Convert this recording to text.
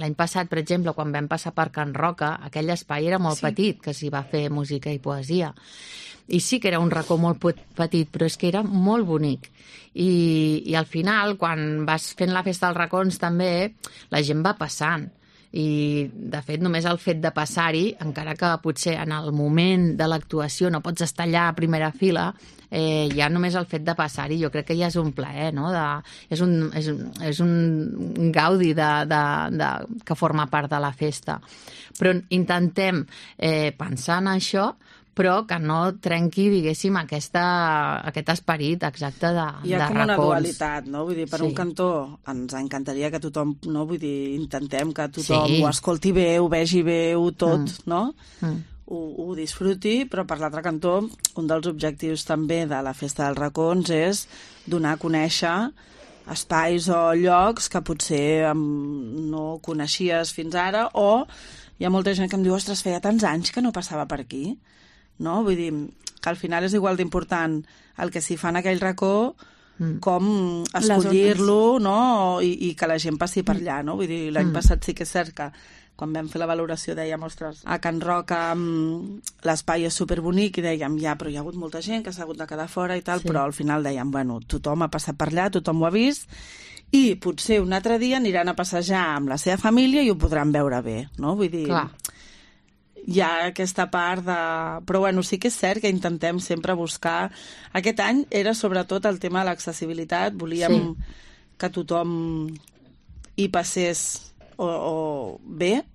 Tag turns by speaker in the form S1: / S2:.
S1: l'any passat, per exemple, quan vam passar per Can Roca, aquell espai era molt petit, que s'hi va fer música i poesia. I sí que era un racó molt petit, però és que era molt bonic. I al final, quan vas fent la festa dels racons també, la gent va passant. I, de fet, només el fet de passar-hi, encara que potser en el moment de l'actuació no pots estar allà a primera fila, ja només el fet de passar-hi jo crec que ja és un plaer, no? És un gaudi que forma part de la festa. Però intentem pensar en això, però que no trenqui, diguéssim, aquest esperit exacte de racons.
S2: Hi ha com una dualitat, no? Vull dir, per un cantó ens encantaria que tothom, no? Vull dir, intentem que tothom ho escolti bé, ho vegi bé, tot, no? Ho disfruti, però per l'altre cantó, un dels objectius també de la Festa dels Racons és donar a conèixer espais o llocs que potser no coneixies fins ara, o hi ha molta gent que em diu, ostres, feia tants anys que no passava per aquí, no? Vull dir, que al final és igual d'important el que s'hi fa en aquell racó com escollir-lo, no? I que la gent passi per allà, no? Vull dir, l'any passat sí que és cert que quan vam fer la valoració dèiem, ostres, a Can Roca l'espai és superbonic i dèiem, ja, però hi ha hagut molta gent que s'ha hagut de quedar fora i tal, però al final dèiem, bueno, tothom ha passat per allà, tothom ho ha vist, i potser un altre dia aniran a passejar amb la seva família i ho podran veure bé, no? Vull dir, hi ha aquesta part de... Però bueno, sí que és cert que intentem sempre buscar... Aquest any era sobretot el tema de l'accessibilitat, volíem que tothom hi passés o bé,